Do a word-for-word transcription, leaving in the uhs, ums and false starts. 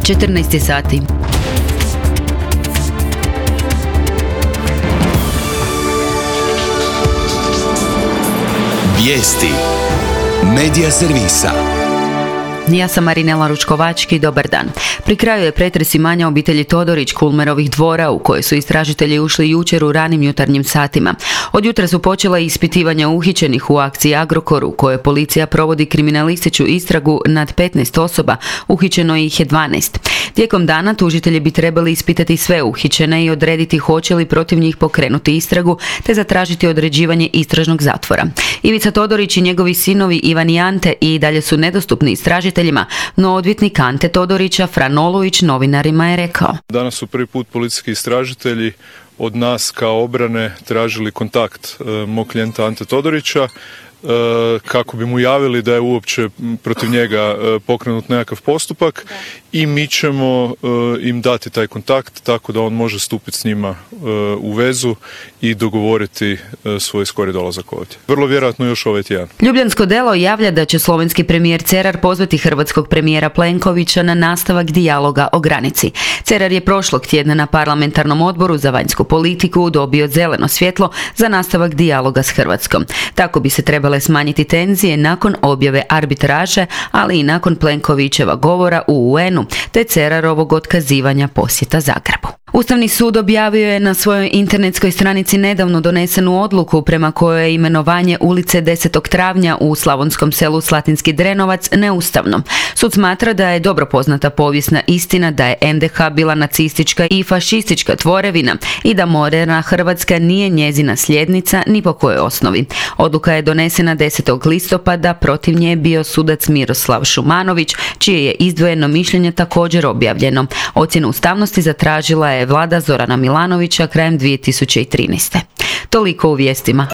četrnaest sati. Vijesti Medija servisa. Ja sam Marinela Ručkovački, dobar dan. Pri kraju je pretres imanja obitelji Todorić Kulmerovih dvora u koje su istražitelji ušli jučer u ranim jutarnjim satima. Od jutra su počela ispitivanja uhićenih u akciji Agrokor u kojoj policija provodi kriminalističku istragu nad petnaest osoba, uhićeno ih je dvanaest. Tijekom dana tužitelji bi trebali ispitati sve uhićene i odrediti hoće li protiv njih pokrenuti istragu te zatražiti određivanje istražnog zatvora. Ivica Todorić i njegovi sinovi Ivan i Ante i dalje su nedostupni istražiteljima, no odvjetnik Ante Todorića Fran Olujić novinarima je rekao: Danas su prvi put policijski istražitelji od nas kao obrane tražili kontakt e, mog klijenta Ante Todorića e, kako bi mu javili da je uopće protiv njega e, pokrenut nekakav postupak da. I mi ćemo e, im dati taj kontakt tako da on može stupiti s njima e, u vezu i dogovoriti e, svoj skori dolazak ovdje. Vrlo vjerojatno još ovaj tjedan. Ljubljansko delo javlja da će slovenski premijer Cerar pozvati hrvatskog premijera Plenkovića na nastavak dijaloga o granici. Cerar je prošlog tjedna na parlamentarnom odboru za vanjsku politiku dobio zeleno svjetlo za nastavak dijaloga s Hrvatskom. Tako bi se trebale smanjiti tenzije nakon objave arbitraže, ali i nakon Plenkovićeva govora u U N-u te Cerarovog otkazivanja posjeta Zagrebu. Ustavni sud objavio je na svojoj internetskoj stranici nedavno donesenu odluku prema kojoj je imenovanje ulice desetog travnja u slavonskom selu Slatinski Drenovac neustavno. Sud smatra da je dobro poznata povijesna istina da je N D H bila nacistička i fašistička tvorevina i da moderna Hrvatska nije njezina sljednica ni po kojoj osnovi. Odluka je donesena desetog listopada, protiv nje je bio sudac Miroslav Šumanović, čije je izdvojeno mišljenje također objavljeno. Ocjenu ustavnosti zatražila je vlada Zorana Milanovića krajem dvije tisuće trinaeste. Toliko u vijestima.